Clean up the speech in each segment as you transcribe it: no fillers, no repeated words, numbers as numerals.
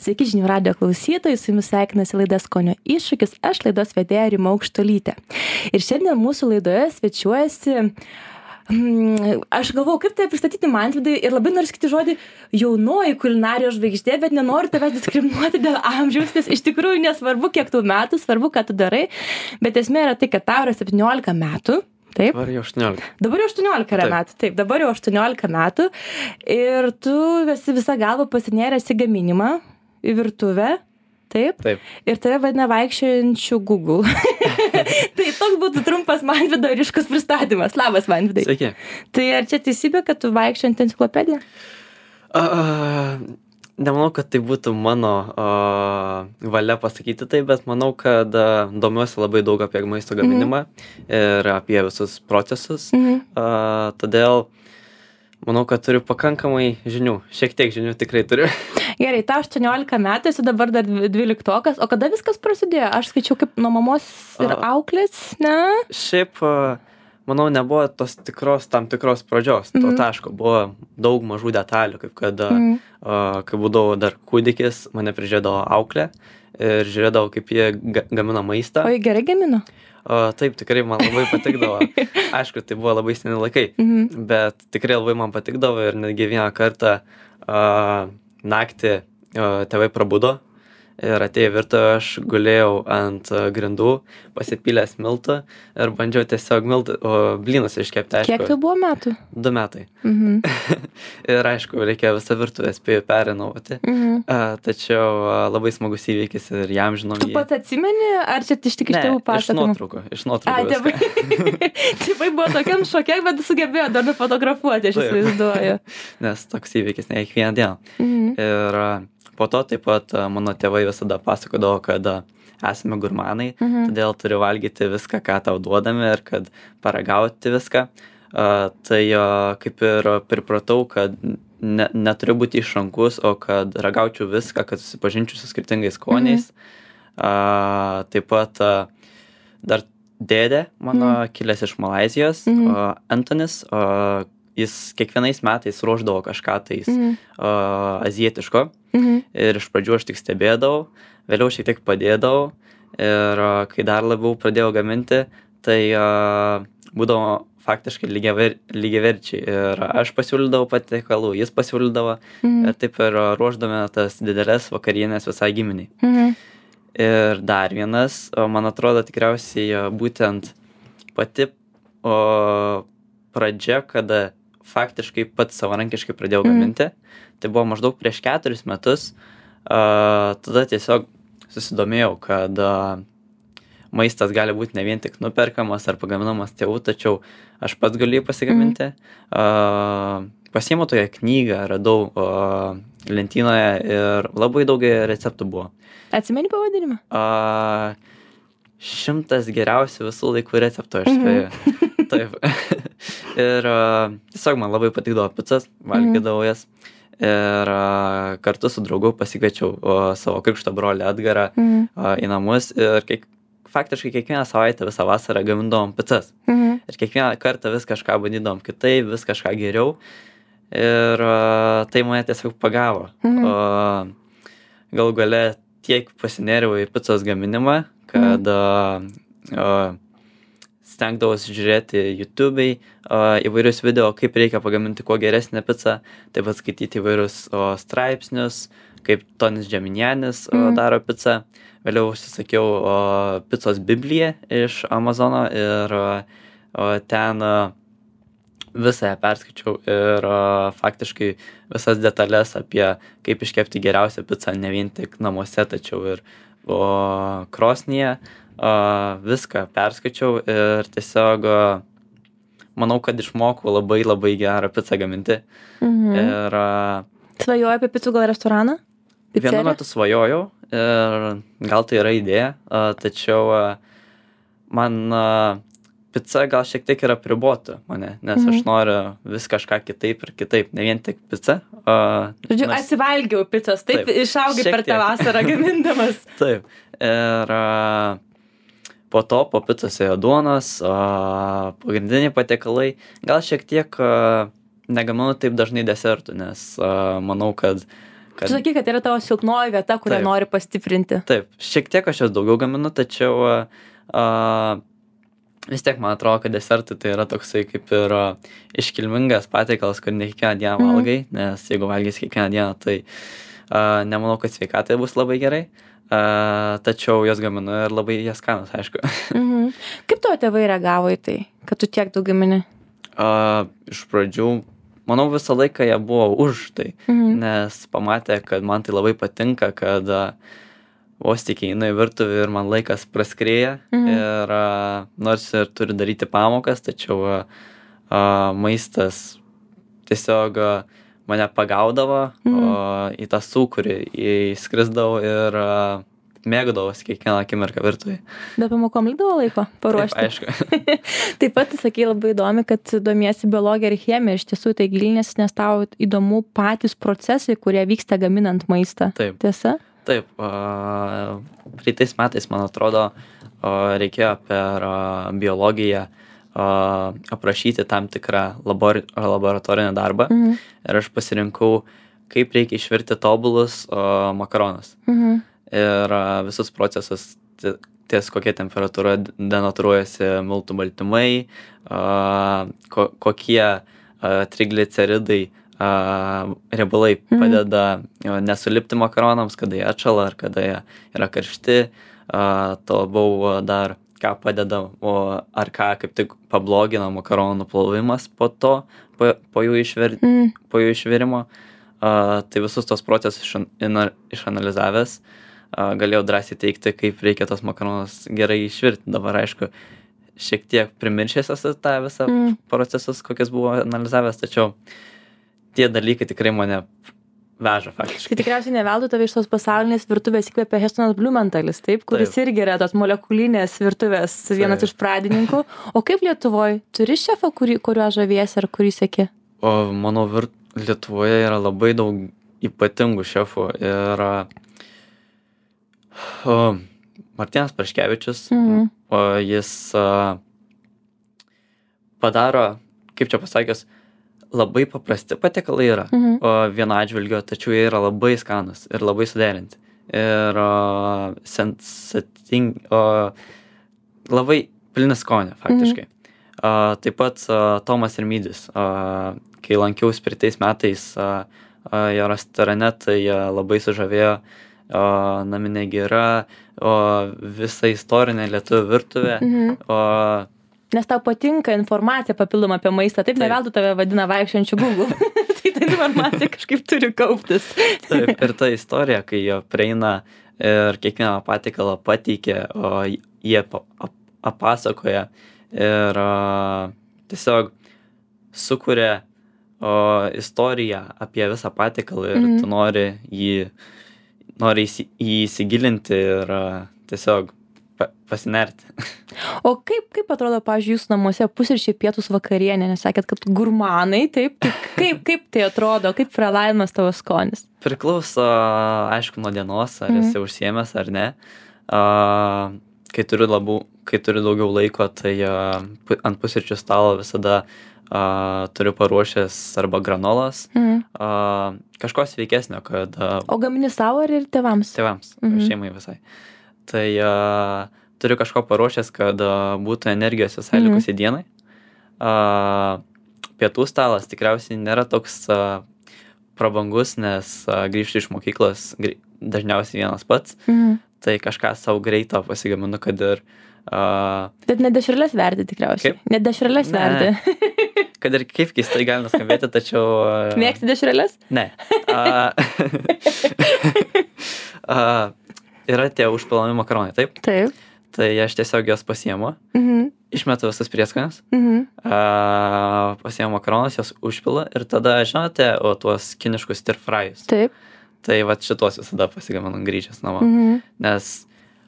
Sveiki žinių radijo klausytojai, su jumis sveikinasi laida Skonio iššūkis, aš laidos vedėja Rima Aukštuolytė. Ir šiandien mūsų laidoje svečiuojasi, aš galvojau, kaip tai pristatyti Mantvidai ir labai noriu sakyti žodį jaunoji kulinarijos žvaigždė, bet nenoriu tavęs diskriminuoti dėl amžiaus, nes iš tikrųjų nesvarbu, kiek tų metų, svarbu, ką tu darai, bet esmė yra tai, kad tau yra 17 metų. Taip. Dabar jau 18. Dabar jau 18 yra metų. Taip, dabar jau 18 metų. Ir tu esi visą galvą pasinėręs į gaminimą, į virtuvę. Taip. Taip. Ir tave vadina vaikščiojančiu Google. Tai toks būtų trumpas Mantvido ryškus pristatymas. Labas, Mantvidai. Sveiki. Tai ar čia teisybė, kad tu vaikščiojant enciklopediją? Nemanau, kad tai būtų mano valia pasakyti tai, bet manau, kad domiuosi labai daug apie maisto gaminimą ir apie visus procesus. Todėl manau, kad turiu pakankamai žinių. Šiek tiek žinių tikrai turiu. Gerai, tau 18 metų, esi dabar dar 12-okas. O kada viskas prasidėjo? Aš skaičiau kaip nuo mamos ir auklės, ne? Šiaip, manau, nebuvo tam tikros pradžios. To taško buvo daug mažų detalių, kaip kad, kai būdavau dar kūdikis, mane prižiūrėdavo auklė ir žiūrėdavo, kaip jie gamina maistą. O jie gerai gamino? Taip, tikrai man labai patikdavo. Aišku, tai buvo labai seni laikai, bet tikrai labai man patikdavo ir netgi vieną kartą naktį tėvai prabudo ir atėjo į virtuvę, aš gulėjau ant grindų, pasipylęs miltų ir bandžiau tiesiog blynus iškepti. Aišku, kiek tai buvo metų? 2 metai. Ir aišku, reikėjo visą virtuvę spėjau perinovoti. Tačiau labai smagus įvykis ir jam žinom jį. Tu pats atsimeni, ar čia iš tik iš tėvų pasakojimų? Iš nuotraukų. Tėvai buvo tokiam šoke, bet sugebėjo dar nufotografuoti, aš įsivaizduoju. Nes toks įvykis ne kiekvieną dieną. Ir po to taip pat mano tėvai visada pasakodavo, kad esame gurmanai, todėl turi valgyti viską, ką tau duodame ir kad paragauti viską. Tai kaip ir pripratau, kad neturiu būti išrankus, o kad ragaučiau viską, kad susipažinčiau su skirtingais skoniais. Taip pat dar dėdė mano kilęs iš Malaizijos, Antonis, jis kiekvienais metais ruošdavo kažką tais azijietiško. Ir iš pradžių aš tik stebėdavau, vėliau šiek tiek padėdavau ir kai dar labiau pradėjau gaminti, tai būdavo faktiškai lygiaverčiai ir aš pasiūlydavau patiekalų, jis pasiūlydavo ir taip ir ruošdame tas didelės vakarienės visai giminiai. Ir dar vienas, man atrodo tikriausiai būtent pati pradžia, kada faktiškai pats savarankiškai pradėjau gaminti. Tai buvo maždaug prieš 4 metus. Tada tiesiog susidomėjau, kad maistas gali būti ne vien tik nuperkamas ar pagaminamas tėvų, tačiau aš pats galiu pasigaminti. Pasiėmiau tokią knygą, radau lentynoje ir labai daug receptų buvo. Atsimeni pavadinimą? 100 geriausių visų laikų receptų, aš spėju. Taip. Ir tiesiog man labai patikdavo picas, valgydavau jas. Ir kartu su draugu pasikviečiau savo krikšto brolį Edgarą į namus ir faktiškai kiekvieną savaitę visą vasarą gamindavom picas. Ir kiekvieną kartą vis kažką bandydavom kitaip, vis kažką geriau. Ir tai mane tiesiog pagavo. Galų gale tiek pasinėriau į picos gaminimą, kad stengdavausi žiūrėti YouTube'ai įvairius video, kaip reikia pagaminti kuo geresnę pizzą, taip pat skaityti įvairius straipsnius, kaip Tonis Džeminianis daro pizzą. Vėliau užsisakiau picos Bibliją iš Amazono ir ten visą ją perskaičiau ir faktiškai visas detalės apie kaip iškepti geriausią pizzą ne vien tik namuose, tačiau ir krosnyje. Viską perskaičiau ir tiesiog manau, kad išmokau labai labai gerą pizzą gaminti. Ir svajoji apie picų gal restoraną? Vienu metu svajojau ir gal tai yra idėja, tačiau man pica gal šiek tiek yra apribota mane, nes aš noriu vis kažką kitaip ir kitaip, ne vien tik pica. Žodžiu, atsivalgiau picos, taip išaugai per tą vasarą gamindamas. Taip. Ir po to po picos ėjo duonos, pagrindiniai patiekalai. Gal šiek tiek negaminu taip dažnai desertų, nes manau, kad Tu sakai, kad yra tavo silpnoji vieta, kurią Taip. nori pastiprinti. Taip, šiek tiek aš jos daugiau gaminu, tačiau vis tiek man atrodo, kad desertai tai yra toksai kaip ir iškilmingas patiekalas, kur ne kiekvieną dieną valgai, nes jeigu valgysi kiekvieną dieną, tai nemanau, kad sveikatai bus labai gerai, tačiau jos gaminu ir labai jie skanus, aišku. Kaip tavo tėvai reagavo į tai, kad tu tiek daug gamini? Iš pradžių, manau, visą laiką jie buvo už tai, nes pamatė, kad man tai labai patinka, kad vos tik einu į virtuvę ir man laikas praskrėja ir nors ir turiu daryti pamokas, tačiau maistas tiesiog mane pagaudavo į tą sūkurį, įskrisdavau ir mėgdavausi kiekvieną akimirką virtuvėje. Bet pamokom likdavo laiko paruošti? Taip, aišku. Taip pat sakei labai įdomi, kad domiesi biologija ir chemija, iš tiesų tai gilinės, nes tau įdomu patys procesai, kurie vyksta gaminant maistą. Taip. Tiesa? Taip, praeitais metais, man atrodo, reikėjo per biologiją aprašyti tam tikrą laboratorinį darbą ir aš pasirinkau, kaip reikia išvirti tobulus makaronus. Ir visus procesus, ties kokia temperatūra denatūruojasi miltų baltymai, kokie trigliceridai riebalai padeda nesulipti makaronams, kada jie atšala ar kada jie yra karšti. To buvo dar ką padeda, ar ką kaip tik pablogina makaronų plovimas po to, po jų išvirimo. Tai visus tos procesus išanalizavęs, galėjau drąsiai teikti, kaip reikia tos makaronus gerai išvirti. Dabar, aišku, šiek tiek primiršęs esu tą visą procesus, kokias buvo analizavęs, tačiau tie dalykai tikrai mane veža faktiškai. Tai tikriausiai neveldu tave iš tos pasaulinės virtuvės įkvėpė Hestonas Blumenthalis, taip, kuris irgi yra tos molekulinės virtuvės vienas iš pradininkų. O kaip Lietuvoje? Turi šefą, kuriuo žaviesi ar kurį seki? O manau, Lietuvoje yra labai daug ypatingų šefų ir Martynas Praškevičius, jis padaro, kaip čia pasakius, labai paprasti patiekalai yra vieno atžvilgio, tačiau jie yra labai skanus ir labai suderinti. Ir labai pilni skonio, faktiškai. Taip pat Tomas Rimydis, kai lankiausi praeitais metais jo restorane, tai labai sužavėjo naminė gira, visa istorinė lietuvių virtuvė. Nes tau patinka informacija papildoma apie maistą, taip neveldu tave vadina vaikščiančiu Google. Tai ta informacija kažkaip turi kauptis. Taip, ir ta istorija, kai jie prieina ir kiekvieną patiekalą pateikia, jie papasakoja ir tiesiog sukuria istoriją apie visą patiekalą ir tu nori jį įsigilinti ir tiesiog pasinerti. O kaip atrodo, pavyzdžiui, jūsų namuose pusryčiai, pietūs, vakarienė, nes sakėt, kad gurmanai, taip, kaip tai atrodo, kaip pralaimimas tavo skonis? Priklauso, aišku, nuo dienos, ar esi užsiėmęs ar ne. Kai turiu daugiau laiko, tai ant pusryčių stalo visada turiu paruošęs arba granolas, kažko sveikesnio, kad... O gamini savo ar ir tėvams? Tėvams, šeimai visai. Tai turiu kažko paruošęs, kad būtų energijos visai likusiai dienai. Pietų stalas tikriausiai nėra toks prabangus, nes grįžti iš mokyklos dažniausiai vienas pats. Tai kažką savo greito pasigaminu, kad ir... Bet ne dešreles verdi tikriausiai. Kaip? Ne dešreles verdi. Kad ir kaip keistai gali nuskambėti, tačiau... Mėgsti dešreles? Ne. Yra tie užpilami makaronai, taip? Taip. Tai aš tiesiog jos pasiemu, išmetu visas prieskonius, pasiemu makaronus, jos užpila ir tada, žinote, tuos kiniškus stir fryus. Taip. Tai vat šitos visada pasigaminu grįžęs namo. Nes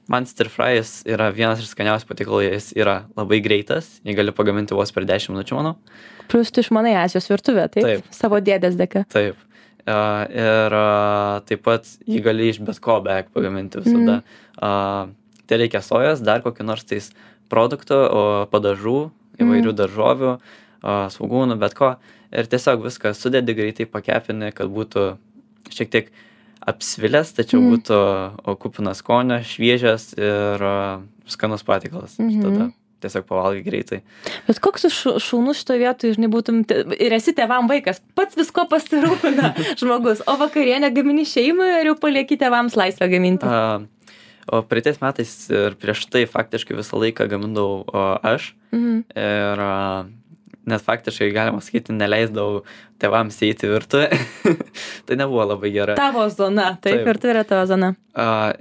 man stir fryus yra vienas iš skaniausių patiekalų, jis yra labai greitas, jį gali pagaminti vos per 10 minučių, manau. Plus tu išmanai Azijos virtuvę, taip? Taip. Savo dėdės dėka. Taip. Ir taip pat jį gali iš bet ko beveik pagaminti visada. Tai reikia sojos, dar kokį nors tais produktų, padažų, įvairių daržovių, svogūnų, bet ko. Ir tiesiog viską sudedi, greitai pakepini, kad būtų šiek tiek apsvilęs, tačiau būtų kupinas skonio, šviežias ir skanus patiekalas. Tada tiesiog pavalgai greitai. Bet koks šaunus šitoje vietoje, žinai, būtum, ir esi tėvam vaikas, pats visko pasirūpina žmogus, o vakarienę gamini šeimai ar jau palieki tėvams laisvę gaminti? O praeitais metais ir prieš tai faktiškai visą laiką gamindavau aš. Ir net faktiškai, galima sakyti, neleisdavau tėvams įeiti į virtuvę. Tai nebuvo labai gera. Tavo zona, taip, virtuvė yra tavo zona.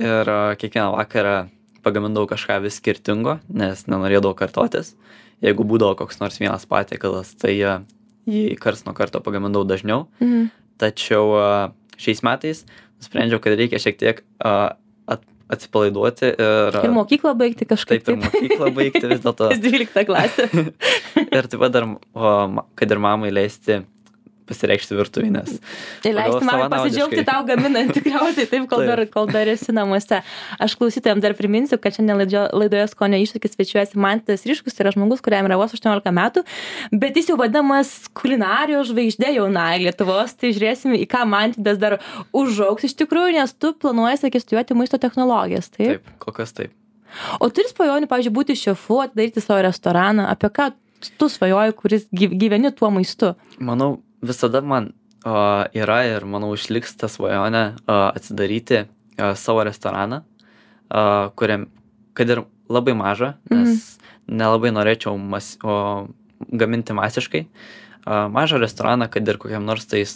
Ir kiekvieną vakarą pagamindavau kažką vis skirtingo, nes nenorėdavau kartotis. Jeigu būdavo koks nors vienas patiekalas, tai jį karts nuo karto pagamindavau dažniau. Tačiau šiais metais nusprendžiau, kad reikia šiek tiek atsipalaiduoti ir mokyklą baigti kažkaip. Taip, ir mokyklą baigti vis dėlto. 12 klasė. Ir taip pat dar, kad ir mamai leisti pasireikšti virtuvinės. Ir leisti mamai pasidžiaugti tau gaminant tikriausiai taip, kol dar esi namuose. Aš klausytojams dar priminsiu, kad šiandien laidoje Skonio iššūkis svečiuojasi Mantas Ryškus, tai yra žmogus, kuriam yra vos 18 metų, bet jis jau vadinamas kulinarijos žvaigždė jaunai Lietuvos, tai žiūrėsim, į ką Mantas dar užaugs iš tikrųjų, nes tu planuoji studijuoti maisto technologijas, taip? Taip, kol kas taip. O turi svajonių, pavyzdžiui, būti šefu, atidaryti savo restoraną, apie ką tu svajoji, kuris gyveni tuo maistu? Manau, visada man yra ir, manau, išliks ta svajonė atsidaryti savo restoraną, kuriam, kad ir labai mažą, nes nelabai norėčiau gaminti masiškai. Mažą restoraną, kad ir kokiam nors tais,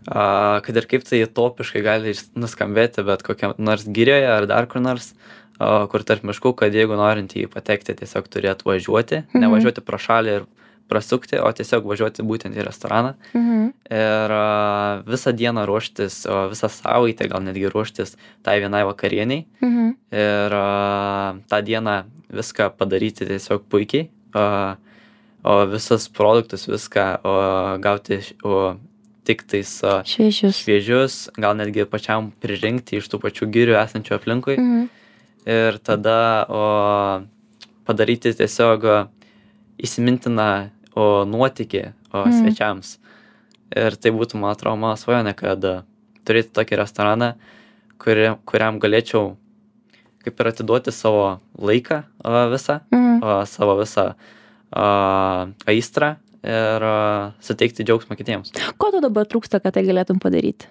kad ir kaip tai topiškai gali nuskambėti, bet kokiam nors girioje ar dar kur nors, kur tarp miškų, kad jeigu norint jį patekti, tiesiog turėtų važiuoti, nevažiuoti pro šalį ir prasukti, o tiesiog važiuoti būtent į restoraną ir visą dieną ruoštis, visą savaitę gal netgi ruoštis tai vienai vakarieniai ir tą dieną viską padaryti tiesiog puikiai, o visus produktus, viską gauti tik tais šviežius, gal netgi pačiam pririnkti iš tų pačių girių esančių aplinkui ir tada padaryti tiesiog įsimintiną nuotykį svečiams. Ir tai būtų, man atrodo, mano svajonė, kad turėti tokį restoraną, kuriam galėčiau kaip ir atiduoti savo laiką visą, savo visą aistrą ir suteikti džiaugsmą kitiems. Ko tu dabar trūksta, kad tai galėtum padaryti?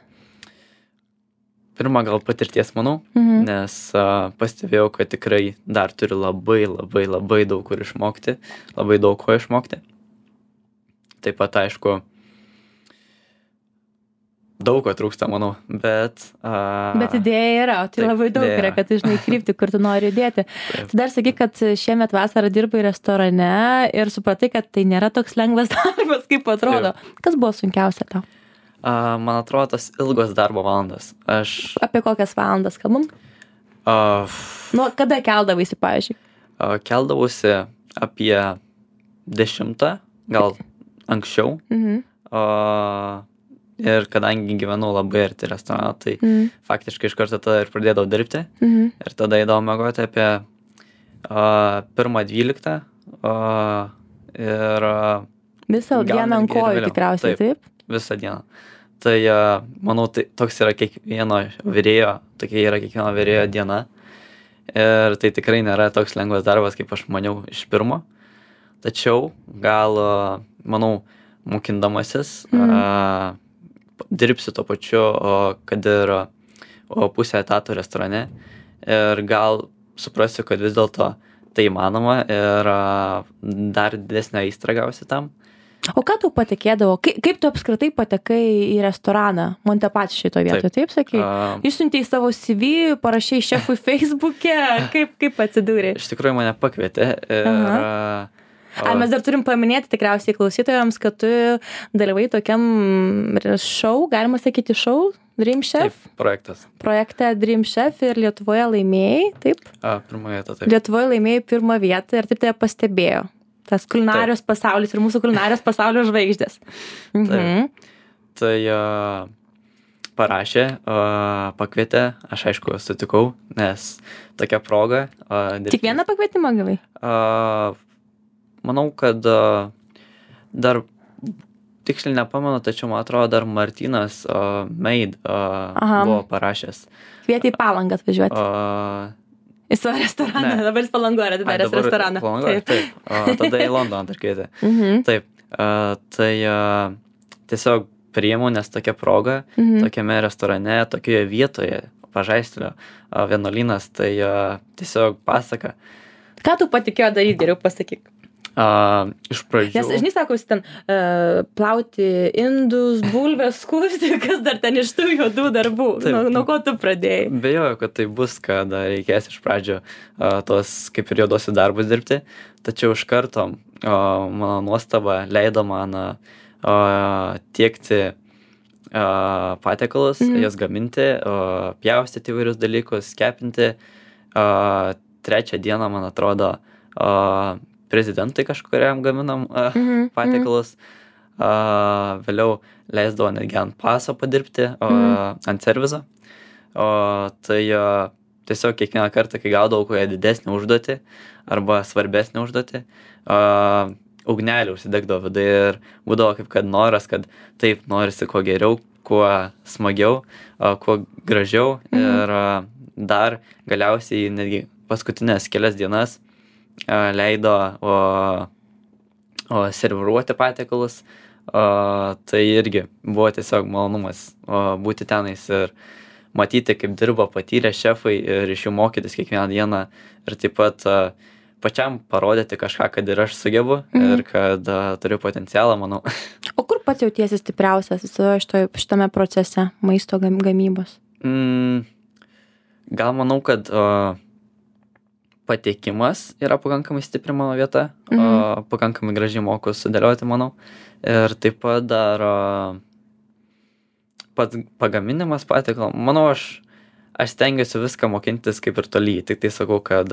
Pirma, gal patirties, manau, nes pastebėjau, kad tikrai dar turiu labai daug kur išmokti, labai daug ko išmokti. Taip pat, aišku, daug ko trūksta, manau, bet... Bet idėja yra, o tai taip, labai daug yra, kad tu žinai krypti, kur tu nori judėti. Tu dar sakai, kad šiemet vasarą dirbai restorane ir supratai, kad tai nėra toks lengvas darbas, kaip atrodo. Taip. Kas buvo sunkiausia tau? Man atrodo, tas ilgos darbo valandas. Apie kokias valandas kalbam? Nu, kada keldavaisi, pavyzdžiui? Keldavausi apie 10, gal anksčiau. Ir kadangi gyvenau labai arti restorano, tai faktiškai iš karto tada ir pradėdavau dirbti. Ir tada eidavau miegoti apie 1:12. Ir visą dieną ant kojų tikriausiai, taip? Visą dieną. Tai, manau, tai toks yra kiekvieno virėjo, tokia yra kiekvieno virėjo diena. Ir tai tikrai nėra toks lengvas darbas, kaip aš maniau iš pirmo. Tačiau gal, manau, mokindamasis, dirbsiu tuo pačiu, kad ir pusę etato restorane. Ir gal suprasiu, kad vis dėlto tai įmanoma ir dar didesnę aistrą gausi tam. O ką tau patikėdavo? Kaip tu apskritai patekai į restoraną? Montepatš šito vietoje, taip sakai? Išsiuntei savo CV, parašei šefui Facebook'e, kaip atsidūrė? Iš tikrųjų mane pakvietė ir... Mes dar turim paminėti tikriausiai klausytojams, kad tu dalyvai tokiam šou, galima sakyti šou, Dream Chef? Taip, projektas. Projekte Dream Chef ir Lietuvoje laimėjai, taip? Pirmą vietą, taip. Lietuvoje laimėjai pirmą vietą ir taip tai pastebėjo. Tas kulinarijos pasaulis ir mūsų kulinarijos pasaulio žvaigždės. Tai parašė, pakvietė, aš aišku sutikau, nes tokia proga. Tik vieną pakvietimą gavai? Manau, kad dar tiksliai nepamenu, tačiau man atrodo dar Martynas Maid buvo parašęs. Kvietė į Palangą atvažiuoti. Į savo restoraną, Ne. dabar jis Palangoje atidaręs restoraną. Palangoje, taip. Tada į Londoną dar kvietė. Taip. Tai tiesiog priėmiau, nes tokia proga, tokiame restorane, tokioje vietoje, Pažaistelio vienuolynas, tai tiesiog pasaka. Ką tu patikėjo daryti, geriau pasakyk? Iš pradžių. Nes, žinai, sako, jis ten plauti indus, bulves, skusti, kas dar ten iš tų juodų darbų. Nuo ko tu pradėjai? Bejoju, kad tai bus, kad reikės iš pradžio tos kaip ir juodosius darbus dirbti, tačiau iš karto mano nuostaba leido man tiekti patiekalus, jas gaminti, pjaustyti įvairius dalykus, kepinti. Trečią dieną, man atrodo, prezidentui kažkuriam gaminam patiekalus. Vėliau leisdavo netgi ant paso padirbti, ant servizo. Tai tiesiog kiekvieną kartą, kai gaudavau kokią didesnį užduotį arba svarbesnį užduotį, ugnelį užsidegdavo viduje ir būdavo kaip kad noras, kad taip norisi kuo geriau, kuo smagiau, kuo gražiau. Ir dar galiausiai netgi paskutinės kelias dienas leido serviruoti patiekalus. Tai irgi buvo tiesiog malonumas būti tenais ir matyti, kaip dirba patyrę šefai ir iš jų mokytis kiekvieną dieną ir taip pat pačiam parodyti kažką, kad ir aš sugebu ir kad turiu potencialą, manau. O kur pats jautiesi stipriausias šitame procese maisto gamybos? Gal manau, kad patiekimas yra pakankamai stipri mano vieta, pakankamai gražiai moku sudėlioti, manau. Ir taip pat dar pats pagaminimas patiekalo. Manau, aš stengiuosi viską mokintis kaip ir toly, tik tai sakau, kad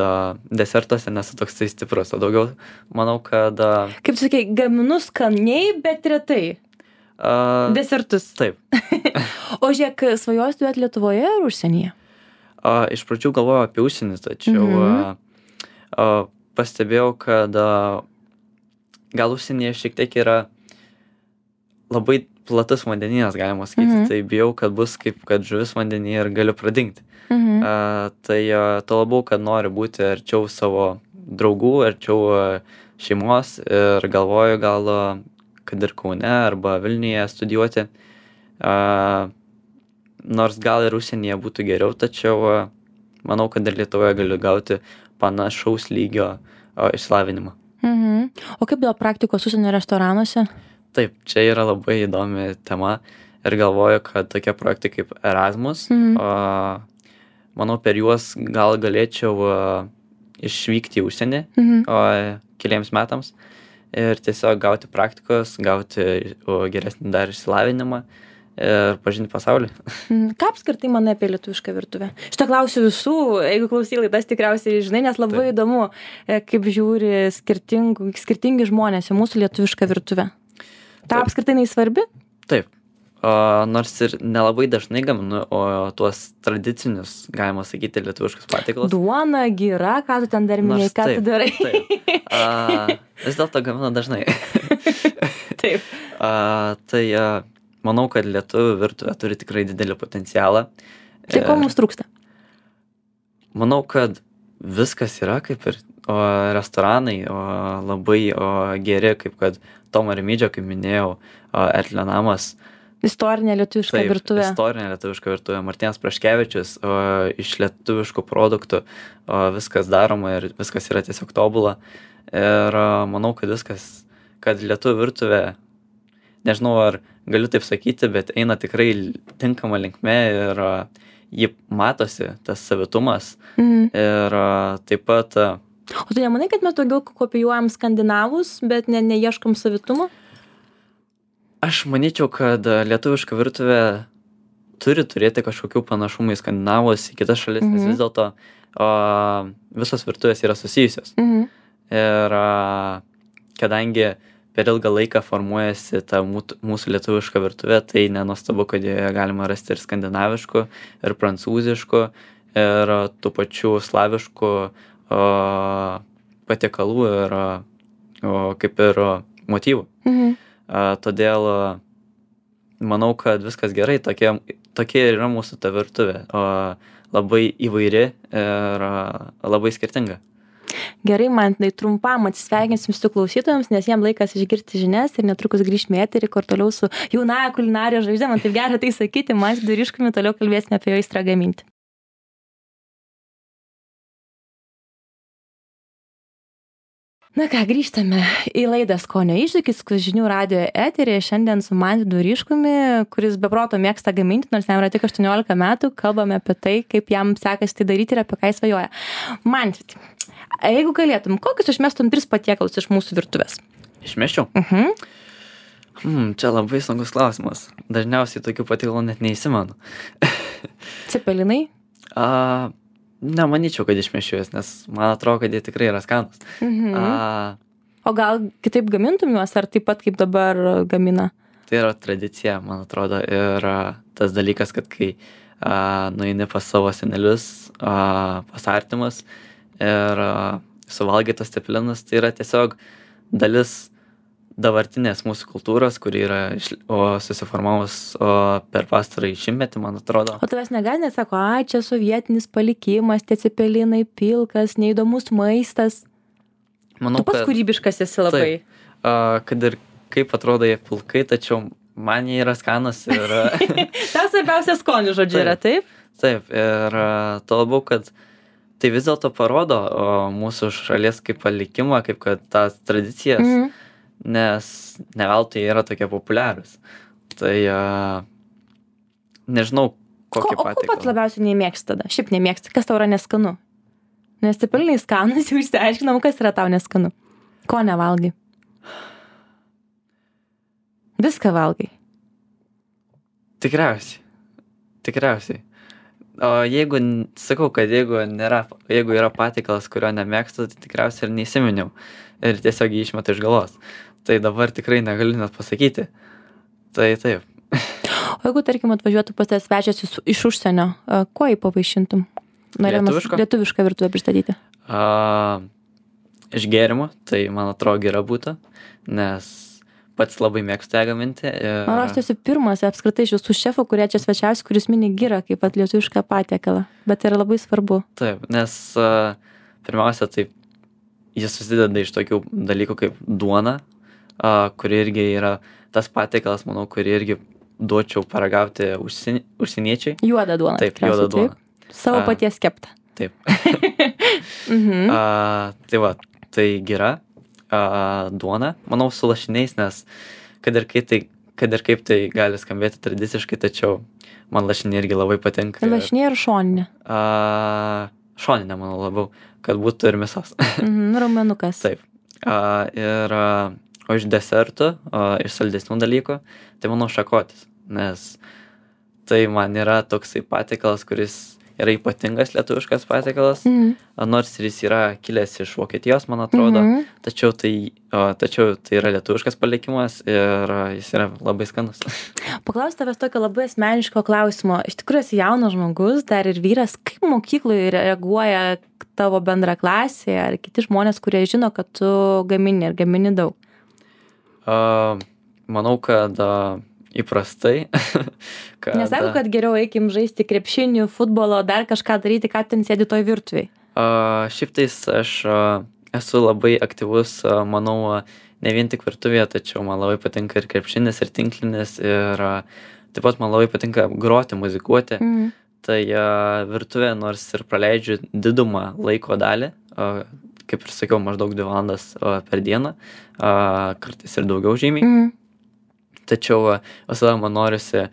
desertuose nesu toks tai stiprus, o daugiau manau, kad... Kaip tu sakei, gaminu skaniai, bet retai. Desertus. Taip. O žiūrėk, svajoji studijuoti Lietuvoje ar užsienyje? Iš pradžių galvojau apie užsienį, tačiau pastebėjau, kad gal užsienyje šiek tiek yra labai platus vandenynas, galima sakyti, tai bijau, kad bus kaip kad žuvis vandenyje ir galiu pradingti. Tai to labiau, kad noriu būti arčiau savo draugų, arčiau šeimos ir galvoju gal, kad ir Kaune arba Vilniuje studijuoti. Nors gal ir užsienyje būtų geriau, tačiau manau, kad ir Lietuvoje galiu gauti panašaus lygio išsilavinimą. O kaip dėl praktikos užsienio restoranuose? Taip, čia yra labai įdomi tema ir galvoju, kad tokie projektai kaip Erasmus, manau, per juos gal galėčiau išvykti į užsienį keliems metams ir tiesiog gauti praktikos, gauti geresnį dar išsilavinimą ir pažinti pasaulį. Ką apskritai manai apie lietuvišką virtuvę? Šitą klausiu visų, jeigu klausai laidas tikriausiai žinai, nes labai įdomu, kaip žiūri skirtingi žmonės į mūsų lietuvišką virtuvę. Ta apskritai neįsvarbi? Taip. Nors ir nelabai dažnai gaminu, o tuos tradicinius, galima sakyti, lietuviškus patiekalus. Duona, gira, ką tu ten dar minėjai, ką tu darai? Taip. Vis dėlto gaminu dažnai. Taip. Tai manau, kad lietuvių virtuvė turi tikrai didelį potencialą. Tai ko mums trūksta? Manau, kad viskas yra kaip ir restoranai labai geri, kaip kad Tomo Rimydžio, kaip minėjau, Ertlio namas. Istorinė lietuviška virtuvė. Istorinė lietuviška virtuvė. Martynas Praškevičius, iš lietuviškų produktų viskas daroma ir viskas yra tiesiog tobula. Ir manau, kad lietuvių virtuvė, nežinau, ar galiu taip sakyti, bet eina tikrai tinkama linkme ir ji matosi, tas savitumas. Ir taip pat... O tu nemanai, kad mes daugiau kopijuojam skandinavus, bet neieškom savitumo? Aš manyčiau, kad lietuviška virtuvė turi turėti kažkokių panašumų į skandinavus, į kitas šalis, nes vis dėlto visos virtuvės yra susijusios. Ir kadangi per ilgą laiką formuojasi ta mūsų lietuviška virtuvė, tai nenuostabu, kad joje galima rasti ir skandinaviškų, ir prancūziškų, ir tų pačių slaviškų patiekalų ir kaip ir motyvų. Todėl manau, kad viskas gerai, tokia ir yra mūsų ta virtuvė, labai įvairi ir labai skirtinga. Gerai, Mantai, trumpam atsisveikinsim su klausytojams, nes jiem laikas išgirsti žinias ir netrukus grįžime į eterį, kur toliau su jaunąja kulinarijos žvaigždė, man taip gera tai sakyti, Mantu Duriškumi toliau kalbėsime apie jo aistrą gaminti. Na ką, grįžtame į laidą Skonio iššūkis, žinių radijo eterį. Šiandien su Mantu Duriškumi, kuris be proto mėgsta gaminti, nors jam yra tik 18 metų, kalbame apie tai, kaip jam sekasi tai daryti ir apie ką jis svajoja. Mantu, jeigu galėtum, kokius išmestum 3 patiekalus iš mūsų virtuvės? Išmesčiau? Čia labai sunkus klausimas. Dažniausiai tokių patiekalų net neįsimenu. Cepelinai? Nemanyčiau, kad išmešiu jas, nes man atrodo, kad jie tikrai yra skanūs. O gal kitaip gamintum juos, ar taip pat kaip dabar gamina? Tai yra tradicija, man atrodo, ir tas dalykas, kad kai nueini pas savo senelius, pas artimus ir suvalgai tos cepelinus, tai yra tiesiog dalis dabartinės mūsų kultūros, kuri yra susiformavus per pastarąjį šimtmetį, man atrodo. O tavęs negali, sako, čia sovietinis palikimas, tie cepelinai, pilkas, neįdomus maistas. Manau, tu pats kūrybiškas esi labai. Taip, kad ir kaip atrodo jie pilkai, tačiau man jie yra skanus ir... Tas svarbiausia skonių žodžiu yra, taip? Taip, ir to labiau, kad tai vis dėlto parodo mūsų šalies kaip palikimą, kaip kad tas tradicijas, nes ne veltui yra tokie populiarūs. Tai nežinau, kokį patiekalą. O ko pats labiausiai nemėgsti tada? Šiaip nemėgsti, kas tau yra neskanu? Nes cepelinai skanus, jau išsiaiškinom, kas yra tau neskanu. Ko nevalgai? Viską valgai? Tikriausiai. O jeigu, sakau, kad jeigu yra patiekalas, kurio nemėgstu, tai tikriausiai ir neįsiminiau. Ir tiesiog jį išmetu iš galvos. Tai dabar tikrai negaliu net pasakyti. Tai taip. O jeigu, tarkim, atvažiuotų pas tavęs svečias iš užsienio, kuo jį pavaišintum? Lietuvišką virtuvę pristatyti. Iš gėrimų, tai man atrodo gera būtų, nes pats labai mėgstu ją gaminti. Man aš tiesiog pirmas apskritai iš visų šefų, kurie čia svečiausi, kuris mini girą kaip pat lietuvišką patiekalą. Bet tai yra labai svarbu. Taip, nes pirmiausia, tai jis susideda iš tokių dalykų kaip duona, kuri irgi yra tas patiekalas, manau, kurį irgi duočiau paragauti užsieniečiai. Juoda duona. Taip, juoda duona. Savo paties kepta. Taip. Tai va, tai gira duona, manau, su lašiniais, nes kad ir kaip tai gali skambėti tradiciškai, tačiau man lašiniai irgi labai patinka. Lašiniai ar šoninė? Šoninė, manau, labiau, kad būtų ir mėsos. Raumenukas. Taip. O iš desertų, iš saldesnių dalykų, tai manau šakotis, nes tai man yra toksai patiekalas, kuris yra ypatingas lietuviškas patiekalas, nors ir jis yra kilęs iš Vokietijos, man atrodo, tačiau tai yra lietuviškas palikimas ir jis yra labai skanus. Paklausiu tavęs tokio labai asmeniško klausimo. Iš tikrųjų esi jaunas žmogus, dar ir vyras, kaip mokykloje reaguoja tavo bendraklasiai ar kiti žmonės, kurie žino, kad tu gamini ir gamini daug? Manau, kad įprastai. Nesako, kad geriau eikim žaisti krepšinį, futbolo, dar kažką daryti, ką ten sėdi toj virtuvėj? Šiaip tais aš esu labai aktyvus, manau, ne vien tik virtuvėje, tačiau man labai patinka ir krepšinis, ir tinklinis, ir taip pat man labai patinka groti, muzikuoti. Tai virtuvė, nors ir praleidžiu didumą laiko dalį, kaip ir sakiau, maždaug 2 valandas per dieną, kartais ir daugiau žymiai. Tačiau visada man norisi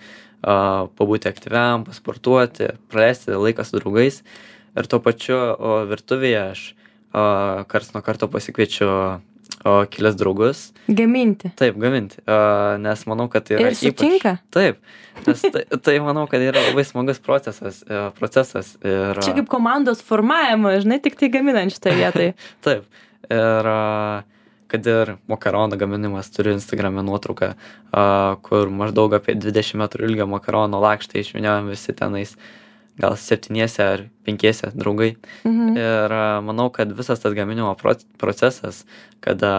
pabūti aktyviam, pasportuoti, praleisti laiką su draugais. Ir tuo pačiu virtuvėje aš karts nuo karto pasikviečiu kelias draugus. Gaminti. Taip, gaminti. Nes manau, kad tai yra ir sutinka? Taip. Nes tai manau, kad yra labai smagus procesas. Ir... Čia kaip komandos formavimas, žinai, tik tai gaminant šitą vietą. Taip. Ir kad ir makaronų gaminimas, turiu Instagrame nuotrauką, kur maždaug apie 20 metrų ilgio makarono lakštą išvyniojam visi tenais, gal 7 ar 5 draugai. Ir manau, kad visas tas gaminimo procesas, kada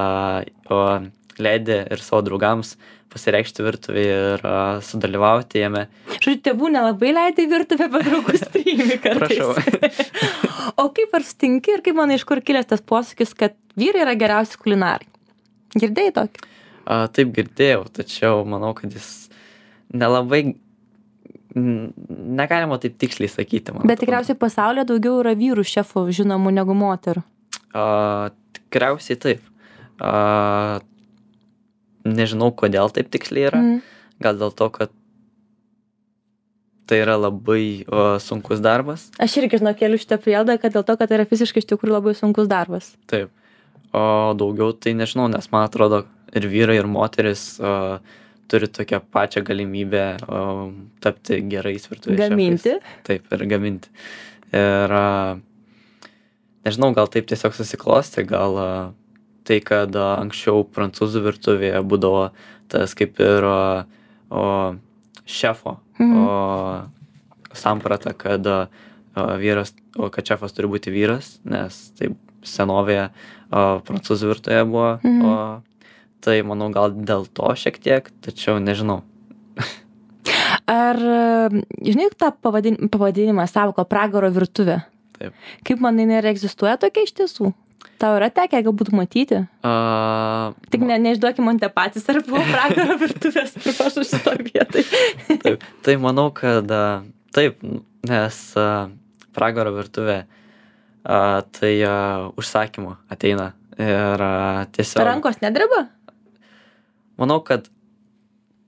leidi ir savo draugams pasireikšti virtuvėje ir sudalyvauti jame. Žodžiu, tėvų nelabai leidai virtuvę, bet draugus priimi kartais. Prašau. O kaip ar sutinki ir kaip manai, iš kur kilęs tas posakis, kad vyrai yra geriausi kulinarai? Girdėjai tokį? Taip girdėjau, tačiau manau, kad jis nelabai, negalima taip tiksliai sakyti. Bet tikriausiai pasaulyje daugiau yra vyrų šefų žinomų negu moterų. Tikriausiai taip. Nežinau, kodėl taip tiksliai yra. Gal dėl to, kad tai yra labai sunkus darbas. Aš irgi keliu šitą prielaidą, kad dėl to, kad tai yra fiziškai iš tikrųjų labai sunkus darbas. Taip. O daugiau tai nežinau, nes man atrodo ir vyrai, ir moteris turi tokią pačią galimybę tapti gerais virtuvės šefais. Gaminti. Taip, ir gaminti. Ir nežinau, gal taip tiesiog susiklosti, gal tai, kad anksčiau prancūzų virtuvėje būdavo tas kaip ir šefo samprata, kad vyras, kad šefas turi būti vyras, nes taip senovėje prancūzų virtuvėje buvo. Tai manau gal dėl to šiek tiek, tačiau nežinau. Ar žinai tą pavadinimą savoką pragaro virtuvė? Taip. Kaip manai, neegzistuoja tokia iš tiesų? Tau yra tekę galbūt matyti? Tik neišduokim man te patys, ar buvo pragaro virtuvės, pripašu šitoj vietai. Taip, tai manau, kad taip, nes pragaro virtuvė tai užsakymu ateina ir tiesiog... Rankos nedreba? Manau, kad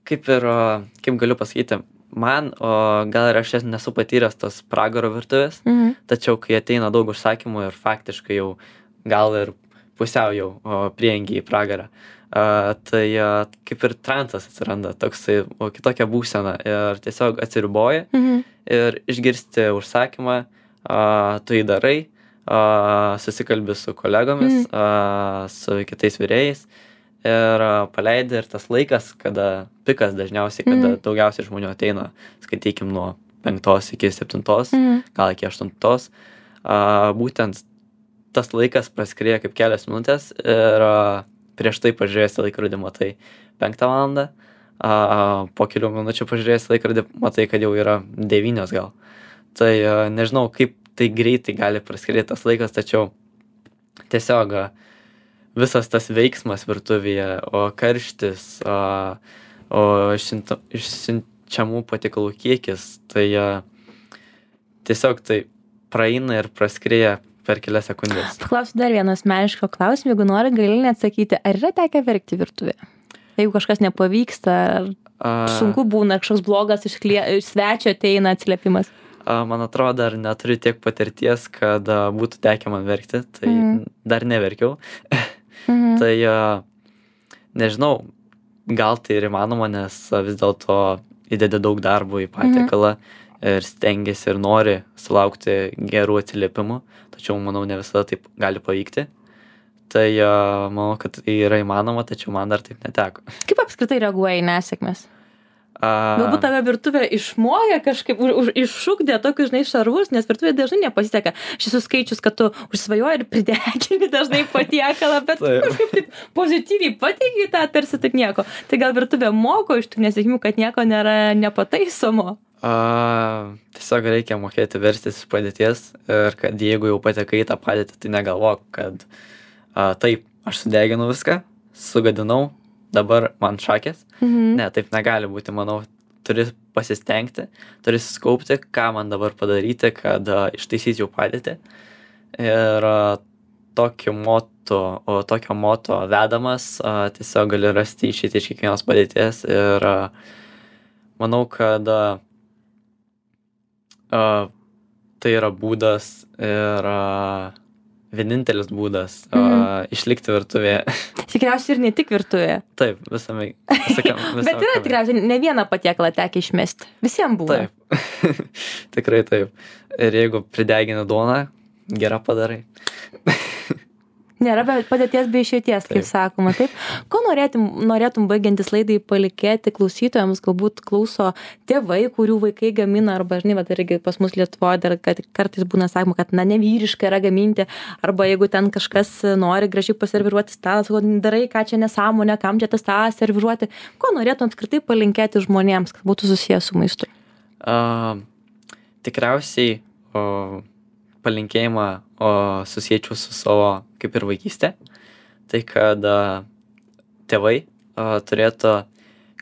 kaip galiu pasakyti, man, gal ir aš nesu patyręs tos pragaro virtuvės, tačiau kai ateina daug užsakymų ir faktiškai jau gal ir pusiau jau priengi į pragarą, tai kaip ir transas atsiranda, toksai kitokia būsena ir tiesiog atsiriboji ir išgirsti užsakymą, tu jį darai, susikalbi su kolegomis, su kitais virėjais ir paleidi ir tas laikas, kada pikas dažniausiai, kada daugiausiai žmonių ateina, skaitykim nuo 5 iki 7, gal iki 8, būtent tas laikas praskrieja kaip kelias minutės ir prieš tai pažiūrėjęs laikrodį matai 5 valandą, po kelių minučių pažiūrėjęs laikrodį matai, kad jau yra 9 gal. Tai nežinau, kaip tai greitai gali praskrieti tas laikas, tačiau tiesiog visas tas veiksmas virtuvėje, karštis, išsiunčiamų patiekalų kiekis, tai tiesiog tai praeina ir praskrieja per kelias sekundės. Paklausiu dar vieną asmenišką klausimą, jeigu nori, gali neatsakyti, ar yra tekę verkti virtuvėje? Jeigu kažkas nepavyksta, ar sunku būna, kažkoks blogas iš svečio ateina atsiliepimas? Man atrodo, dar neturiu tiek patirties, kad būtų tekę man verkti, tai dar neverkiau. Tai nežinau, gal tai ir įmanoma, nes vis dėlto įdedi daug darbo į patiekalą ir stengiasi ir nori sulaukti gerų atsiliepimų, tačiau manau ne visada taip gali pavykti. Tai manau, kad tai yra įmanoma, tačiau man dar taip neteko. Kaip apskritai reaguoja į nesėkmes? Galbūt tave virtuvė išmokė kažkaip, iššūkdė tokius, žinai, šarvus, nes virtuvė dažnai nepasiseka. Aš esu skaičius, kad tu užsvajoji ir pridegini dažnai patiekalą, bet kažkaip taip pozityviai pateiki tą, tarsi taip nieko. Tai gal virtuvė moko iš tų nesėkmių, kad nieko nėra nepataisomo? Tiesiog reikia mokėti verstis iš padėties ir kad jeigu jau patekai į tą padėtį, tai negalvok, kad taip, aš sudeginu viską, sugadinau, dabar man šakės. Ne, taip negali būti, manau, turi pasistengti, turi suskaupti, ką man dabar padaryti, kad ištaisyčiau padėtį. Ir tokio moto vedamas tiesiog gali rasti išeitį iš kiekvienos padėties ir manau, kad tai yra būdas ir vienintelis būdas išlikti virtuvėje. Tikriausiai ir ne tik virtuvėje. Taip, visame. Bet yra tikriausiai ne vieną patiekalą tekę išmesti. Visiems buvo. Taip, tikrai taip. Ir jeigu pridegini duoną, gerą padarai. Nėra padėties be išeities, kaip sakoma, taip. Ko norėtum baigiantis laidai palikėti klausytojams, galbūt klauso tėvai, kurių vaikai gamina, arba, žinai, bet irgi pas mus Lietuvoje dar kartais būna sakoma, kad, nevyriškai yra gaminti, arba jeigu ten kažkas nori gražiai paserviruoti stalą, sako, darai, ką čia nesąmonė, kam čia tą stalą serviruoti. Ko norėtum apskritai palinkėti žmonėms, kad būtų susijęs su maistu? Tikriausiai palinkėjimą susiečiau su savo kaip ir vaikystė. Tai kad tėvai turėtų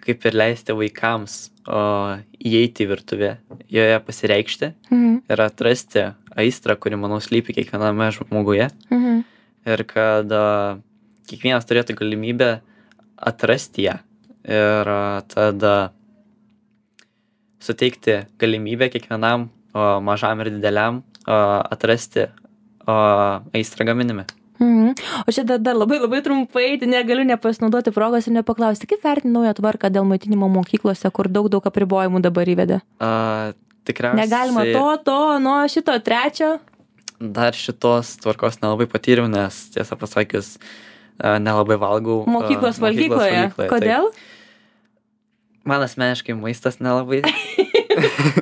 kaip ir leisti vaikams įeiti į virtuvę, joje pasireikšti ir atrasti aistrą, kuri, manau, slypi kiekviename žmoguje. Ir kad kiekvienas turėtų galimybę atrasti ją. Ir tada suteikti galimybę kiekvienam mažam ir dideliam atrasti aistrą gaminime. O čia dar labai trumpai, tai negaliu nepasinaudoti progos ir nepaklausti, kaip vertini naują tvarką dėl maitinimo mokyklose, kur daug apribojimų dabar įvedė? Tikriausiai... Negalima šito trečio? Dar šitos tvarkos nelabai patyriau, nes tiesą pasakius, nelabai valgau mokyklos valgykloje. Kodėl? Man asmeniškai maistas nelabai.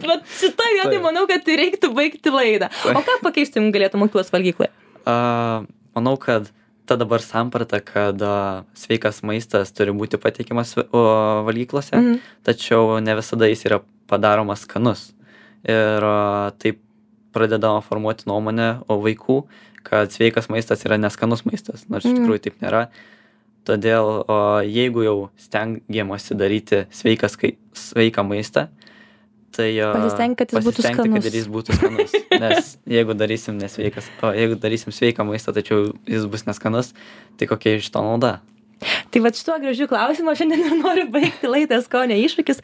Bet šitą vietą manau, kad reiktų baigti laidą. O ką pakeistum galėtų mokyklos valgykloje? Manau, kad ta dabar samprata, kad sveikas maistas turi būti pateikiamas valgyklose, tačiau ne visada jis yra padaromas skanus. Ir taip pradedama formuoti nuomonę vaikų, kad sveikas maistas yra neskanus maistas, nors iš tikrųjų taip nėra. Todėl jeigu jau stengiamasi daryti sveiką maistą, tai pasistengti, kad jis būtų skanus. Nes jeigu darysim sveiką maistą, tačiau jis bus neskanus, tai kokia iš to nauda? Tai vat šituo gražiu klausimu šiandien ir noriu baigti laidą Skonio iššūkis,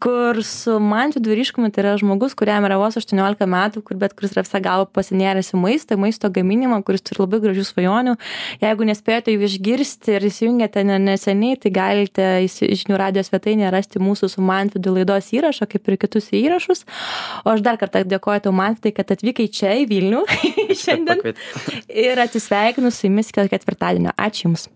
kur su Mantvydu Ryškumi, tai yra žmogus, kuriam yra vos 18 metų, kuris yra visą galvą pasinėręs į maisto gaminimą, kuris turi labai gražių svajonių. Jeigu nespėjote jų išgirsti ir įsijungėte neseniai, tai galite žinių radijo svetainėje rasti mūsų su Mantvydu laidos įrašą, kaip ir kitus įrašus. O aš dar kartą dėkoju tau, Mantvydai, kad atvykai čia į Vilnių šiandien ir atsisveikinu su jumis iki ketvirtadienio. Ačiū Jums.